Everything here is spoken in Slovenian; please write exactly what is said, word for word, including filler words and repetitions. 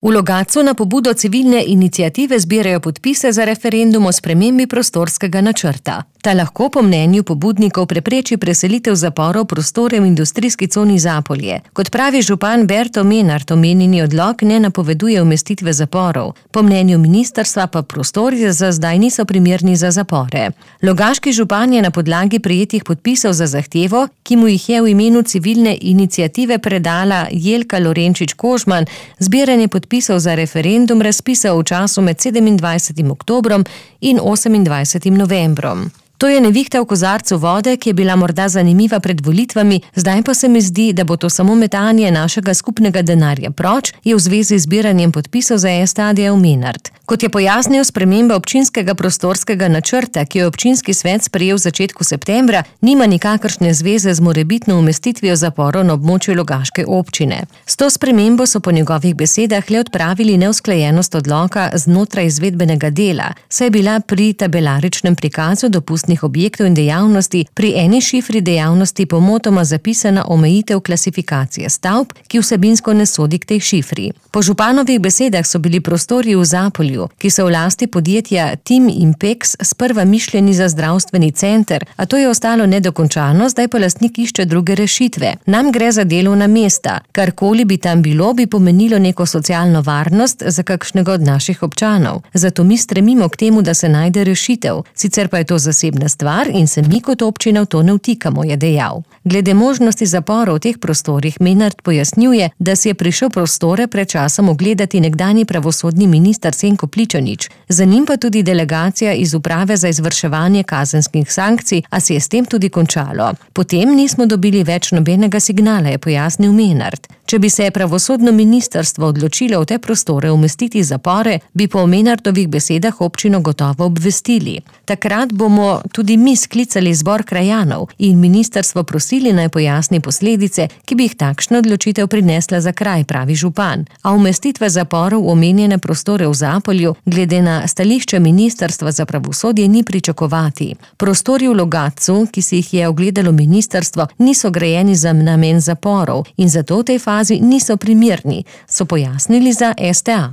V Logatcu na pobudo civilne iniciative zbirajo podpise za referendum o spremembi prostorskega načrta. Ta lahko po mnenju pobudnikov prepreči preselitev zaporov prostore v industrijski coni Zapolje. Kot pravi župan Berto Menart, omenjeni odlok ne napoveduje umestitve zaporov. Po mnenju ministrstva pa prostori za zdaj niso primerni za zapore. Logaški župan je na podlagi prejetih podpisov za zahtevo, ki mu jih je v imenu civilne iniciative predala Jelka Lorenčič-Kožman, zbiranje podpisov za referendum razpisal v času med sedemindvajsetim oktobrom in osemindvajsetim novembrom. To je nevihta v kozarcu vode, ki je bila morda zanimiva pred volitvami, zdaj pa se mi zdi, da bo to samo metanje našega skupnega denarja proč, je v zvezi z zbiranjem podpisov za S T A dejal Menart. Kot je pojasnil, sprememba občinskega prostorskega načrta, ki jo je občinski svet sprejel v začetku septembra, nima nikakršne zveze z morebitno umestitvijo zaporov na območju Logaške občine. S to spremembo so po njegovih besedah le odpravili neusklajenost odloka znotraj izvedbenega dela, saj je bila pri tabelaričnem prikazu dopustnih objektov in dejavnosti pri eni šifri dejavnosti pomotoma zapisana omejitev klasifikacije stavb, ki vsebinsko ne sodi k tej šifri. Po županovih besedah so bili prostori v Zapolju, ki so v lasti podjetja Tim Impex, sprva mišljeni za zdravstveni center, a to je ostalo nedokončano, zdaj pa lastnik išče druge rešitve. Nam gre za delovna mesta. Karkoli bi tam bilo, bi pomenilo neko socialno varnost za kakšnega od naših občanov. Zato mi stremimo k temu, da se najde rešitev. Sicer pa je to zasebna stvar in se mi kot občina v to ne vtikamo, je dejal. Glede možnosti zaporov v teh prostorih Menart pojasnjuje, da si je prišel prostore pred časom ogledati nekdanji pravosodni minister Senko Pličanič, za njim pa tudi delegacija iz uprave za izvrševanje kazenskih sankcij, a se je s tem tudi končalo. Potem nismo dobili več nobenega signala, je pojasnil Menart. Če bi se pravosodno ministrstvo odločilo v te prostore umestiti zapore, bi po Menartovih besedah občino gotovo obvestili. Takrat bomo tudi mi sklicali zbor krajanov in ministrstvo prosili naj pojasni posledice, ki bi jih takšna odločitev prinesla za kraj, pravi župan. A umestitve zaporov v omenjene prostore v Zapolju glede na stališče ministrstva za pravosodje ni pričakovati. Prostori v Logatcu, ki si jih je ogledalo ministrstvo, niso grajeni za namen zaporov in zato v tej fazi niso primerni, so pojasnili za S T A.